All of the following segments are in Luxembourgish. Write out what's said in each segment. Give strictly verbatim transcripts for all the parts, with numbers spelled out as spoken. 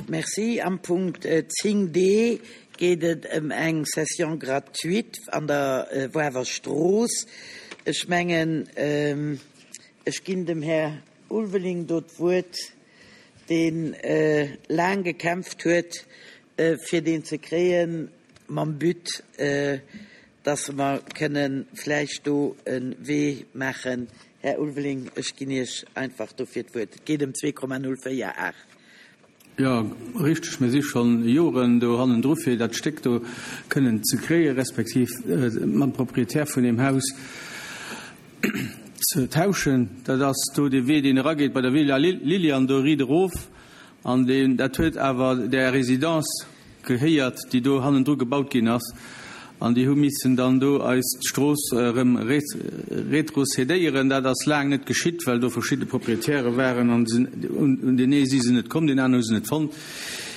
Merci. Am Punkt zéng D geet et ëm eng Cession gratuite an der Woarwer Strooss. Ech mengen, ech ginn dem Här Ulveling do d'Wuert, dee laang gekämpft huet, fir deen ze kréien, mam But, dass mer kënne vläicht do e Wee maachen. Här Ulveling, ech ginn Iech einfach dofir d'Wuert. Et geet ëm zwee Komma null véier aacht. Jo, richteg, mir si schonn Joren do hannendru fir dat Stéck do kënnen ze kréien, respektiv mam Proprietär vun deem Haus ze tauschen. Dat ass do dee Wee, deen erageet bei der Villa Lilian, do riit erof. An deen, dat huet awer där Résidence gehéiert, déi do hannendru gebaut ginn ass. An déi hu missen dann do eis d'Strooss erëm retrocédéieren. Dat ass laang net geschitt, well do verschidde Proprietäre waren an un deen ee si se net komm, deen aneren hu se net fonnt.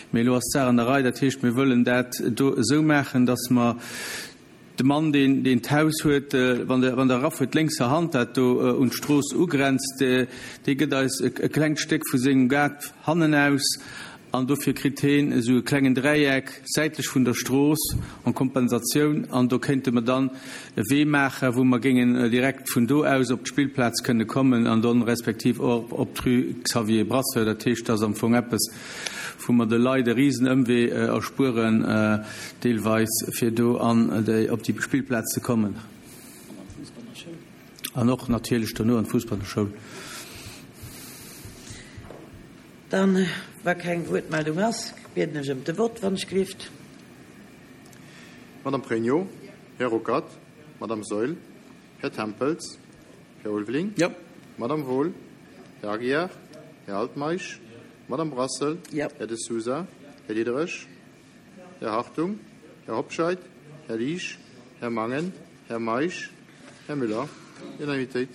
Mee elo ass d'Saach an der Rei. Dat heescht, mir wëllen dat do esou maachen, dass mer de Mann, deen deen d'Haus huet, wann Der wann Der erafuert, lénkser Hand, dat do un d'Strooss ugrenzt, dee gëtt eis e klengt Stéck vu sengem Gaart hannenaus. An dofir kritt heen esou e klengen Dräieck säitlech vun der Strooss en Kompensatioun. An do kéinte mer dann e Wee maachen, wou mer géingen direkt vun do aus op d'Spillplaz kënne kommen an dann respektiv och op d'Rue Xavier Brasseur. Dat heescht, dat ass am Fong eppes, wou mer de Leit e risen Ëmwee erspueren deelweis, fir do an déi, op déi Spillplaz ze kommen. An och natierlech dono an d'Fussballerschoul. Dann, wa keng Wuertmeldung ass, bieden ech ëm de Vott, wann ech gelift. Madame Pregno, Här Ruckert, Madame Saeul, Här Tempels, Här Ulveling, Jo. Madame Wohl, Här Aguiar, Här Altmeisch, Madame Brassel, Jo. Här De Sousa, Här Diderich, Här Hartung, Här Hobscheit, Här Liesch, Här Mangen, Här Meisch, Här Müller. Unanimitéit.